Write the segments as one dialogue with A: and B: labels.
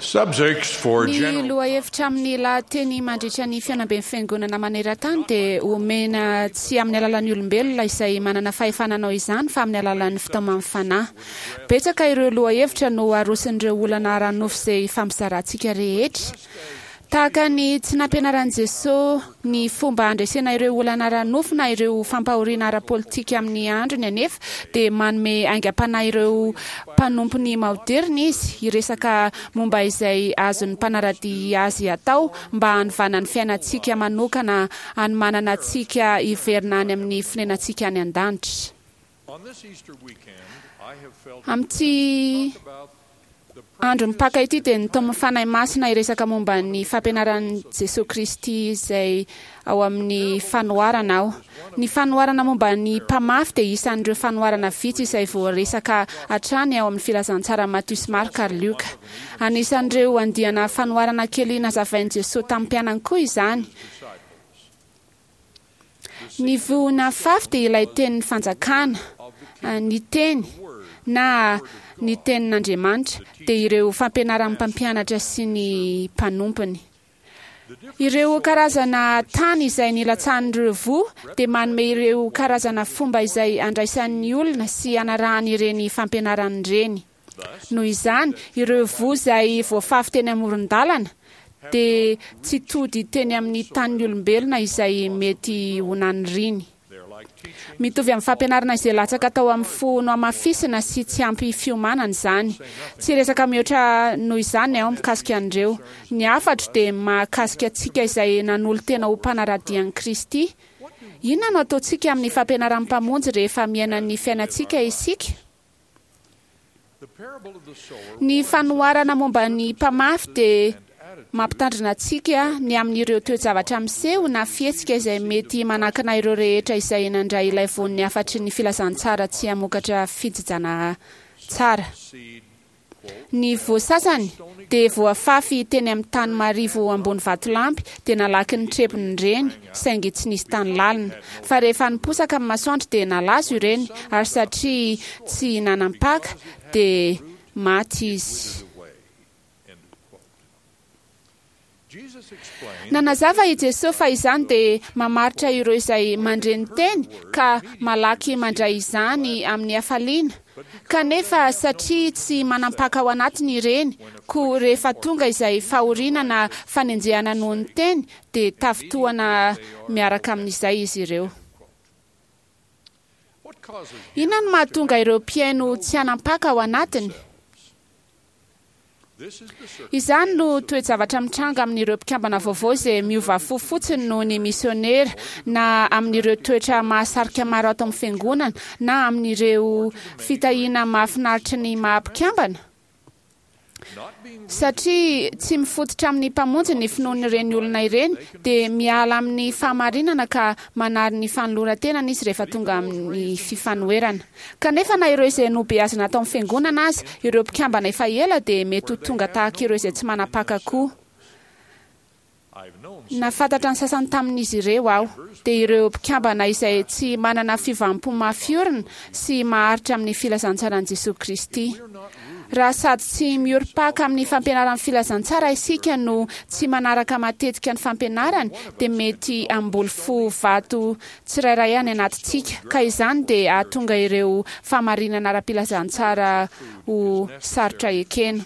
A: Subjects for
B: Ny
A: general
B: lohahevitra amin'ny lahateny mandritra ny fihaonamben'ny Fiangonana maneran-tany dia omena tsy amin'ny alalan'ny olombelona izay manana fahefana hanao izany fa amin'ny alalan'ny fitaoman'ny Fanahy. Betsaka ireo lohahevitra no aroson'ireo olana ara-nofo izay ifampizarantsika rehetra. Tahaka ny tsy nampianaran'i Jesoa ny fomba handresena ireo olana ara-nofo na ireo fampahoriana ara-politika amin'ny androny anefa, dia manome aingam-panahy ireo mpanompony maoderina izy hiresaka momba izay azon'ny mpanara-dia azy atao mba hanovana ny fiainantsika manokana hanomanana antsika hiverina any amin'ny fonenantsika any an-danitra. Amin'ity andron'ny Paka ity dia nitaomin'ny Fanahy Masina hiresaka momba ny fampianaran'i Jesoa Kristy izay ao amin'ny fanoharana aho. Ny fanoharana momba ny mpamafy dia isan'ireo fanoharana vitsy izay voaresaka hatrany ao amin'ny filazantsaran'i Matio sy Marka ary Lioka. Anisan'ireo andiana fanoharana kely nazavain'i Jesoa tamin'ny mpianany koa izany. Ny voa nafafy dia ilay tenin'ny fanjakana, ny teny na ny tenin'Andriamanitra dia ireo fampianaran'ny mpampianatra sy ny mpanompony. Ireo karazana tany izay nilatsahan'ireo voa dia manome ireo karazana fomba izay andraisan'ny olona sy anarahany ireny fampianarany ireny. Noho izany, ireo voa izay voafafy teny amoron-dalana dia tsy tody teny amin'ny tanin'ny olombelona izay mety ho naniriany. Mitovy amin'ny fampianarana izay latsaka tao amin'ny fo nohamafisina sy tsy ampy fiomanana izany. Tsy hiresaka mihoatra noho izany aho mikasika an'ireo. Ny hafatro dia mahakasika antsika izay nanolo-tena ho mpanara-dia an'i Kristy. Inona no ataontsika amin'ny fampianaran'ny Mpamonjy rehefa miaina ny fiainantsika isika? Ny fanoharana momba ny mpamafy dia mampitandrina antsika ny amin'ireo toe-javatra miseho na fihetsika izay mety manakana ireo rehetra izay nandray ilay voan'ny hafatry ny filazantsara tsy hamokatra fijijana tsara. Ny voa sasany dia voafafy teny amin'ny tany marivo ambony vatolampy dia nalaky ny trebony ireny saingy tsy nisy tany lalina. Fa rehefa niposaka ny masoandro dia nalazo ireny ary satria tsy nanam-paka dia maty izy. Nanazava i Jesoa fa izany dia mamaritra ireo izay mandre ny teny ka malaky mandray izany amin'ny hafaliana, kanefa satria tsy manam-paka ao anatiny ireny, koa rehefa tonga izay fahoriana na fanenjehana noho ny teny dia tafintohana miaraka amin'izay izy ireo. Inona no mahatonga ireo mpihaino tsy hanam-paka ao anatiny? Izany no toe-javatra mitranga amin'ireo mpikambana vaovao izay miova fo fotsiny noho ny misionera, na amin'ireo toetra mahasarika maro ato amin'ny Fiangonana, na amin'ireo fitahiana mahafinaritry ny maha-mpikambana. Satria tsy mifototra amin'ny Mpamonjy ny finoan'ireny olona ireny, dia miala amin'ny fahamarinana ka manary ny fanoloran-tenany izy rehefa tonga amin'ny fifanoherana. Kanefa na ireo izay nobeazina tao amin'ny Fiangonana aza, ireo mpikambana efa ela dia mety ho tonga tahaka ireo izay tsy manam-paka koa. Nahafantatra ny sasany tamin'izy ireo aho, dia ireo mpikambana izay tsy manana fiovam-po mafy orina sy maharitra amin'ny filazantsaran'i Jesoa Kristy. Raha sady tsy miorim-paka amin'ny fampianaran'ny filazantsara isika no tsy manaraka matetika ny fampianarany, dia mety hamboly fo vato tsirairay any anatintsika, ka izany dia hahatonga ireo fahamarinana ara-pilazantsara ho sarotra ekena.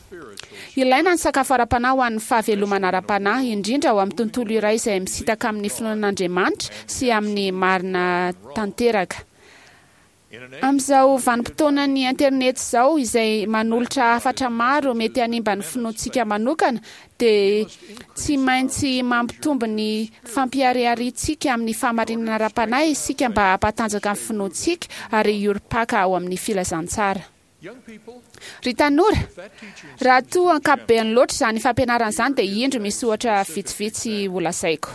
B: Ilaina ny sakafo ara-panahy ho an'ny fahavelomana ara-panahy, indrindra ao amin'ny tontolo iray izay misintaka amin'ny finoana an'Andriamanitra sy amin'ny marina tanteraka. Amin'izao vanim-potoanan'ny internet izao, izay manolotra hafatra maro mety hanimba ny finoantsika manokana, dia tsy maintsy mampitombo ny fampiharihariantsika amin'ny fahamarinana ara-panahy isika mba hampatanjaka ny finoantsika ary hiorim-paka ao amin'ny filazantsara. Ry tanora, raha toa ankapobeany loatra izany fampianarana izany dia indro misy ohatra vitsivitsy holazaiko.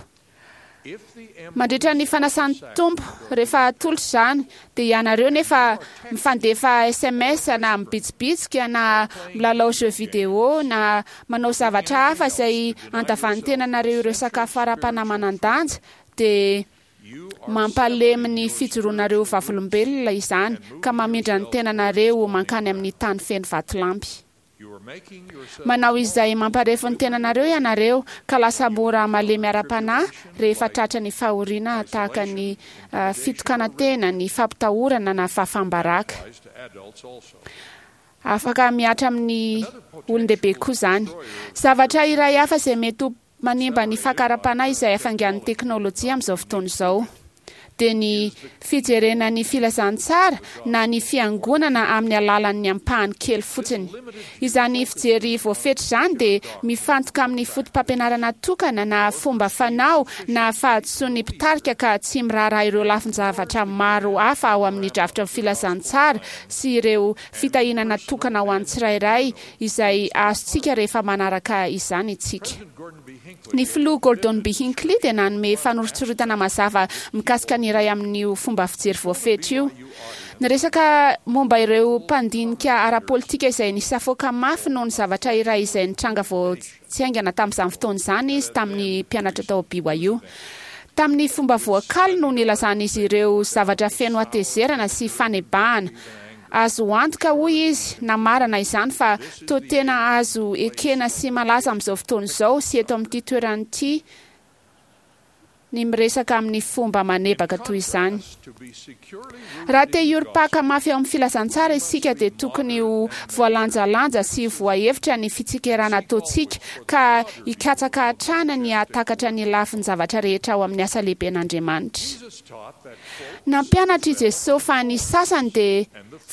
B: Mandritra ny fanasan'ny Tompo, rehefa atolotra izany, dia ianareo nefa mifandefa sms na mibitsibitsika na milalao jeux vidéo na manao zavatra hafa izay andavan'ny tenanareo ireo sakafo ara-panahy manan-danja, dia mampalemy ny fijoroanareo ho vavolombelona izany ka mamindra ny tenanareo mankany amin'ny tany feno vatolampy. Manao izay mamparefo ny tenanareo ianareo ka lasa mora malemy ara-panahy rehefa tratra ny fahoriana tahaka ny fitokanan-tena, ny fampitahorana na fahafaham-baraka. Afaka mihatra amin'ny olon-dehibe koa izany. Zavatra iray hafa izay mety ho manimba ny fakara-panahy izay hafaingan'ny teknolojia amin'izao fotoana izao dia ny fijerena ny filazantsara na ny fiangonana amin'ny alalan'ny ampahany kely fotsiny. Izany fijery voafetra izany dia mifantoka amin'ny fotopampianarana tokana na fomba fanao na fahadisoan'ny mpitarika ka tsy miraharaha ireo lafin-javatra maro hafa ao amin'ny drafitry ny filazantsara sy ireo fitahiana natokana ho an'ny tsirairay izay azontsika rehefa manaraka izany isika. Ny filoha Gordon B. Hinckley dia nanome fanoritsoritana mazava mikasika ny iray amin'io fomba fijery voafetra io. Niresaka momba ireo mpandinika ara-politika izay nisafoaka mafy noho ny zavatra iray izay nitranga vao tsy haingana tamin'izany fotoana izany izy tamin'ny mpianatra tao BYU. Tamin'ny fomba voakaly no nilazan'izy ireo zavatra feno hatezerana sy fanebahana. Azo antoka, hoy izy, namarana izany fa toa tena azo ekena sy malaza amin'izao fotoana izao sy eto amin'ity toerana ity ny miresaka amin'ny fomba manebaka toy izany. Raha te hiorim-paka mafy ao amin'ny filazantsara isika dia tokony ho voalanjalanja sy voahevitra ny fitsikerana ataontsika ka hikatsaka hatrany ny hahatakatra ny lafin-javatra rehetra ao amin'ny asa lehiben'Andriamanitra. Nampianatra i Jesosy fa ny sasany dia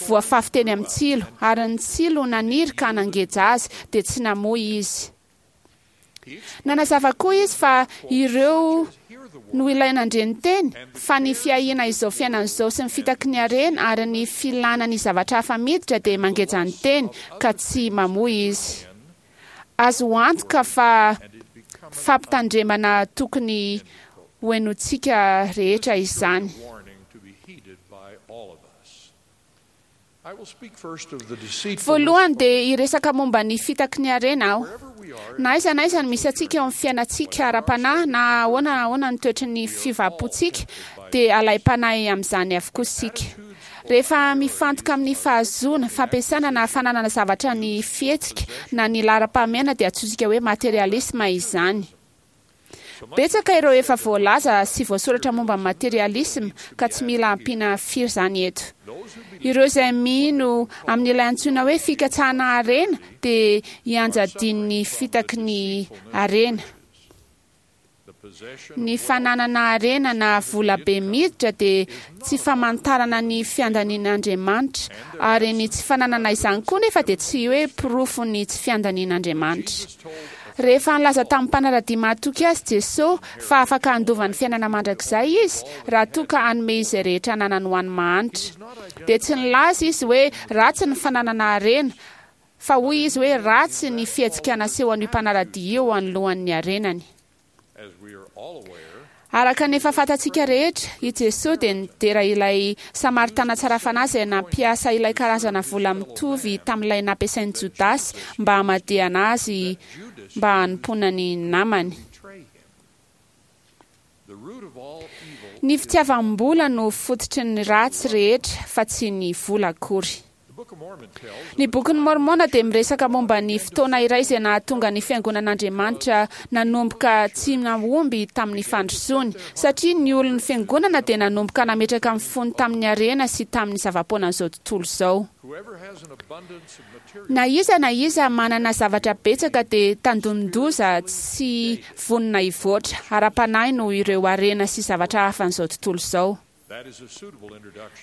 B: voafafy teny amin'ny tsilo, ary ny tsilo naniry ka nangeja azy, dia tsy namoa izy. Nanazava koa izy fa ireo no ilay nandre ny teny, fa ny fiahiana izao fiainana izao sy ny fitaky ny harena ary ny filana ny zavatra hafa miditra dia mangeja ny teny, ka tsy mamoa izy. Azo antoka fa fampitandremana tokony hohenointsika rehetra izany. Voalohany dia hiresaka momba ny fitaky ny harena aho. Na aiza na aiza no misy antsika eo amin'ny fiainantsika ara-panahy, na ahoana na ahoana ny toetry ny fiovam-pontsika, dia alaim-panahy amin'izany avokoa isika. Rehefa mifantoka amin'ny fahazoana, fampiasana na fananana zavatra ny fihetsika na ny laharam-pahamehana dia antsointsika hoe materialisma izany. Betsaka ireo efa voalaza sy voasoratra momba ny materialisma ka tsy mila ampiana firy izany eto. Ireo izay mino amin'ilay antsoina hoe fikatsahana harena dia ianjadian'ny fitaky ny harena. Ny fananana harena na vola be miditra dia tsy famantarana ny fiandanian'Andriamanitra, ary ny tsy fananana izany koa nefa dia tsy hoe porofon'ny tsy fiandanian'Andriamanitra. Rehefa nilaza tamin'ny mpanara-dia mahatoky azy Jesoa fa afaka handova ny fiainana mandrakizay izy raha toa ka hanome izay rehetra ananany ho an'ny mahantra, dia tsy nilaza izy hoe ratsy ny fananana harena, Fa hoy izy hoe ratsy ny fihetsika nasehon'io mpanara-dia io anoloan'ny harenany. Araka ny efa fantatsika rehetra, i Jesoa dia nidera ilay Samaritana tsara fanahy izay nampiasa ilay karazana vola mitovy tamin'ilay nampiasain'i Jodasy mba hamadihana azy mba hanompoana ny namany. Ny fitiavam-bola no fototry ny ratsy rehetra fa tsy ny vola akory. Ny Bokin'i Môrmôna dia miresaka momba ny fotoana iray izay nahatonga ny Fiangonan'Andriamanitra nanomboka tsy nahomby tamin'ny fandrosoany, satria ny olon'ny Fiangonana dia nanomboka nametraka ny fony tamin'ny harena sy tamin'ny zava-poanan'izao tontolo izao. Na iza na iza manana zavatra betsaka dia tandindon-doza tsy vonona hivoatra ara-panahy noho ireo harena sy zavatra hafan'izao tontolo izao.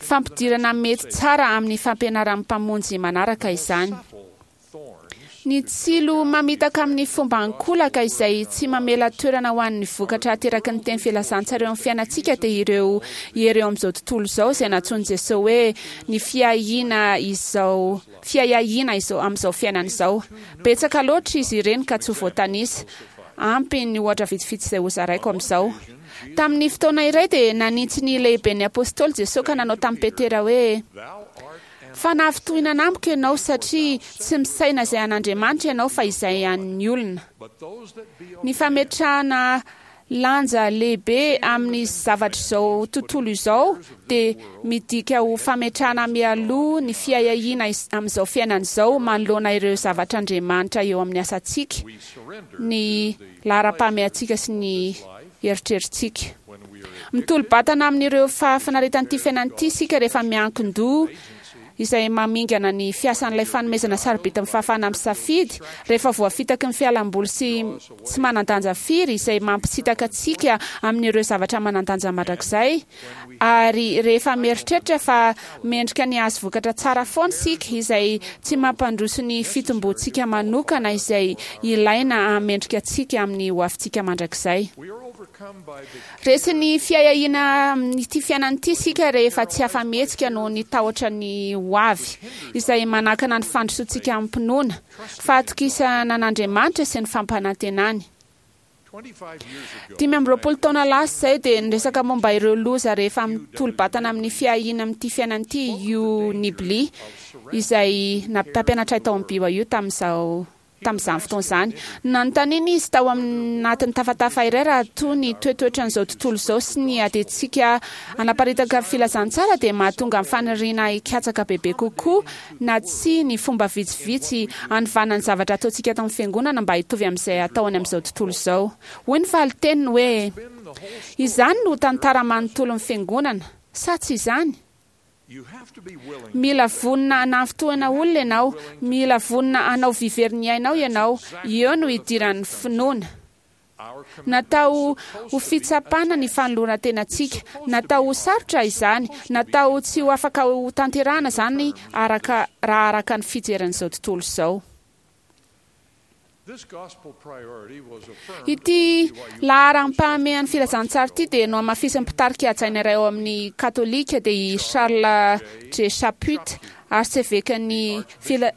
B: Fampidirana mety tsara amin'ny fampianaran'ny Mpamonjy manaraka izany. Ny tsilo mamitaka amin'ny fomba ankolaka izay tsy mamela toerana ho an'ny vokatra ateraky ny teny filazantsara eo amin'ny fiainantsika dia ireo hery eo amin'izao tontolo izao izay nantsoin'i Jesoa hoe ny fiahiana izao fiahiahiana izao amin'izao fiainana izao. Betsaka loatra izy ireny ka tsy ho voatanisa. Ampy ny ohatra vitsivitsy izay hozaraiko amin'izao. Tamin'ny fotoana iray dia nanintsy ny lehiben'ny Apostoly Jesoa ka nanao tamin'i Petera hoe, Fa nahafintohinana amiko ianao, satria tsy misaina izay an'Andriamanitra ianao fa izay an'ny olona. Ny fametrahana lanja lehibe amin'ny zavatr'izao tontolo izao dia midika ho fametrahana mialoha ny fiahiahiana amin'izao fiainana izao manoloana ireo zavatr'Andriamanitra eo amin'ny asantsika, ny laharam-pahamehantsika sy ny eritreritsika. Mitolo-batana amin'ireo fahafinaretan'ity fiainana ity isika rehefa miankin-doha izay mamingana ny fiasan'ilay fanomezana sarobidy amin'ny fahafahana misafidy, rehefa voafitaky ny fialamboly sy tsy manan-danja firy izay mampisintaka antsika amin'ireo zavatra manan-danja mandrakizay, ary rehefa mieritreritra fa mendrika ny hahazo vokatra tsara foana isika izay tsy mampandroso ny fitomboantsika manokana izay ilaina hahamendrika antsika amin'ny hoavintsika mandrakizay. Resin'ny fiahiahiana amin'ity fiainana ity isika rehefa tsy afa-mihetsika noho ny tahotra ny ho avy, izay manakana ny fandrosoantsika amim-pinoana, fahatokisana an'Andriamanitra sy ny fampanantenany. 25 taona lasa izay dia niresaka momba ireo loza rehefa mitolo-batana amin'ny fiahiana amin'ity fiainana ity i Hugh Nibley, izay mpampianatra ahy tao amin'ny BYU tamin'izao tamin'izany fotoana izany. Nanontaniana izy tao anatin'ny tafatafa iray raha toa ny toetoetran'izao tontolo izao sy ny adintsika hanaparitaka filazantsara dia mahatonga ny faniriana hikatsaka bebe kokoa na tsia ny fomba vitsivitsy hanovana ny zavatra ataontsika ato amin'ny Fiangonana mba hitovy amin'izay atao any amin'izao tontolo izao. Hoy ny valin-teniny hoe, Izany no tantara manontolon'ny Fiangonana, sa tsy izany? Mila vonona hanafintohina olona ianao, mila vonona hanao vy very ny ainao ianao, eo no idiran'ny finoana. Natao ho fitsapana ny fanoloran-tenantsika, natao ho sarotra izany, natao tsy ho afaka ho tanterahana izany araka raha araka ny fijerin'izao tontolo izao. Ity laharam-pahamehan'ny filazantsara ity dia nohamafisin'ny mpitarika hajaina iray ao amin'ny Katolika, dia i Charles J. Chaput, arsevekan'i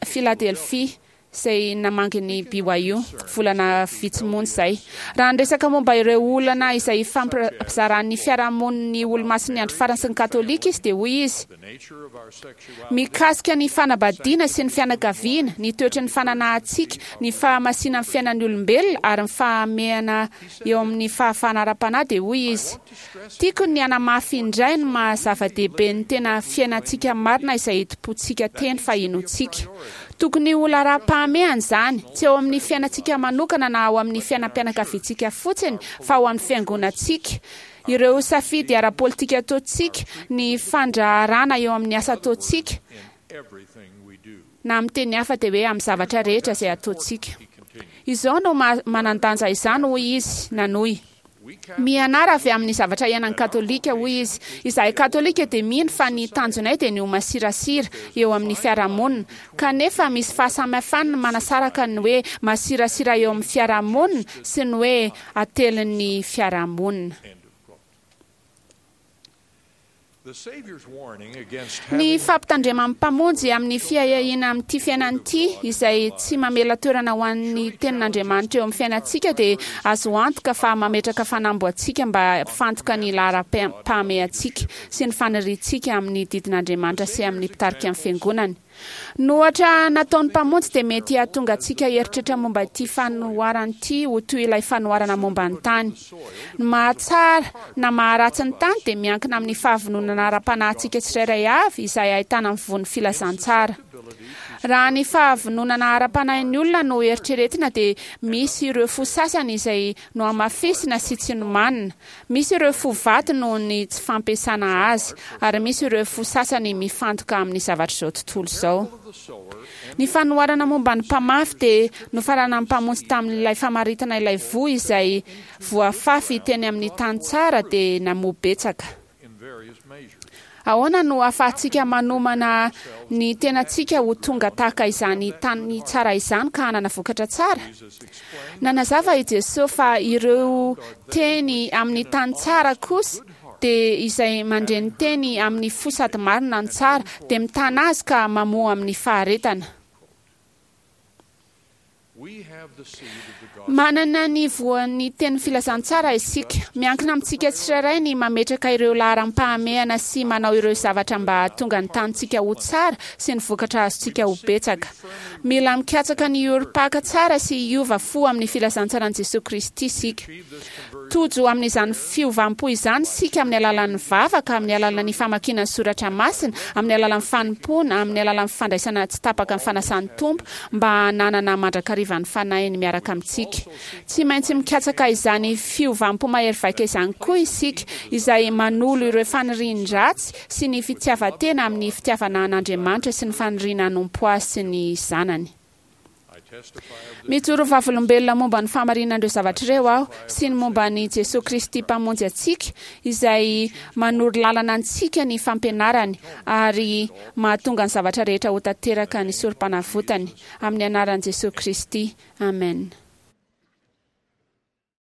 B: Philadelphie, izay namangy ny BYU, volana vitsy monja izay. Raha niresaka momba ireo olana izay ifampizaran'ny fiarahamonin'ny Olomasin'ny Andro Farany sy ny Katolika izy, dia hoy izy, Mikasika ny fanambadiana sy ny fianakaviana, ny toetry ny fananahantsika, ny fahamasinan'ny fiainan'ny olombelona ary ny fahamehana eo amin'ny fahafahana ara-panahy dia hoy izy, Tiako ny hanamafy indray ny maha zava-dehibe ny tena fiainantsika marina izay itompoantsika teny fa inoantsika. Tokony ho laharam-pahamehana izany, tsy eo amin'ny fiainantsika manokana na ao amin'ny fiainam-pianakaviantsika fotsiny fa ao amin'ny fiangonantsika, Ireo safidy ara-politika ataontsika, ny fandraharana eo amin'ny asa ataontsika, na amin'ny teny hafa dia hoe amin'ny zavatra rehetra izay ataontsika. Izao no maha manan-danja izany, hoy izy nanohy. Mianara avy amin'ny zavatra iainan'ny Katolika, hoy izy. Izahay Katolika dia mino fa ny tanjonay dia ny ho masirasira eo amin'ny fiarahamonina. Kanefa misy fahasamihafany ny manasaraka ny hoe masirasira eo amin'ny fiarahamonina sy ny hoe atelin'ny fiarahamonina. Ny fampitandreman'ny Mpamonjy amin'ny fiahiahiana amin'ity fiainana ity, izay tsy mamela toerana ho an'ny Tenin'Andriamanitra eo amin'ny fiainantsika, dia azo antoka fa mametraka fanamby ho antsika mba hampifantoka ny laharam-pahamehantsika sy ny faniriantsika amin'ny didin'Andriamanitra sy amin'ny mpitarika ny Fiangonany. Ny ohatra nataon'ny Mpamonjy dia mety hahatonga antsika hieritreritra momba ity fanoharana ity ho toy ilay fanoharana momba ny tany. Ny mahatsara na maharatsy ny tany dia miankina amin'ny fahavononana ara-panahintsika tsirairay avy izay ahitana ny voan'ny filazantsara. Raha ny fahavononana ara-panahin'ny olona no eritreretina dia misy ireo fo sasany izay nohamafisina sy tsy nomanina, Misy ireo fo vato noho ny tsy fampiasana azy, ary misy ireo fo sasany mifantoka amin'ny zavatr'izao tontolo izao. Ny fanoharana momba ny mpamafy dia nofaranan'ny Mpamonjy tamin'ilay famaritana ilay voa izay voafafy teny amin'ny tany tsara dia namoa betsaka. Ahoana no ahafahantsika manomana ny tenantsika ho tonga tahaka izany tany tsara izany ka hanana vokatra tsara? Nanazava i Jesoa fa ireo teny amin'ny tany tsara kosa dia izay mandre ny teny amin'ny fo sady marina ny tsara, dia mitana azy ka mamoa amin'ny faharetana. Manana ny voan'ny tenin'ny filazantsara isika. Miankina amintsika tsirairay ny mametraka ireo laharam-pahamehana sy manao ireo zavatra mba hahatonga ny tanintsika ho tsara sy ny vokatra azontsika ho betsaka. Mila mikatsaka ny hiorim-paka tsara sy hiova fo amin'ny filazantsaran'i Jesoa Kristy isika. Tojo amin'izany fiovam-po izany isika amin'ny alalan'ny vavaka, amin'ny alalan'ny famakiana ny soratra masina, amin'ny alalan'ny fanompoana, amin'ny alalan'ny fandraisana tsy tapaka ny fanasan'ny Tompo mba hananana mandrakariva ny Fanahiny miaraka amintsika. Tsy maintsy mikatsaka izany fiovam-po mahery vaika izany koa isika, izay manolo ireo fanirian-dratsy sy ny fitiavan-tena amin'ny fitiavana an'Andriamanitra sy ny faniriana hanompo Azy sy ny Zanany. Mijoro vavolombelona momba ny fahamarinan'ireo zavatra ireo aho sy ny momba an'i Jesoa Kristy Mpamonjy antsika, izay manoro lalana antsika ny fampianarany ary mahatonga ny zavatra rehetra ho tanteraka ny Sorompanavotany. Amin'ny anaran'i Jesoa Kristy, amena.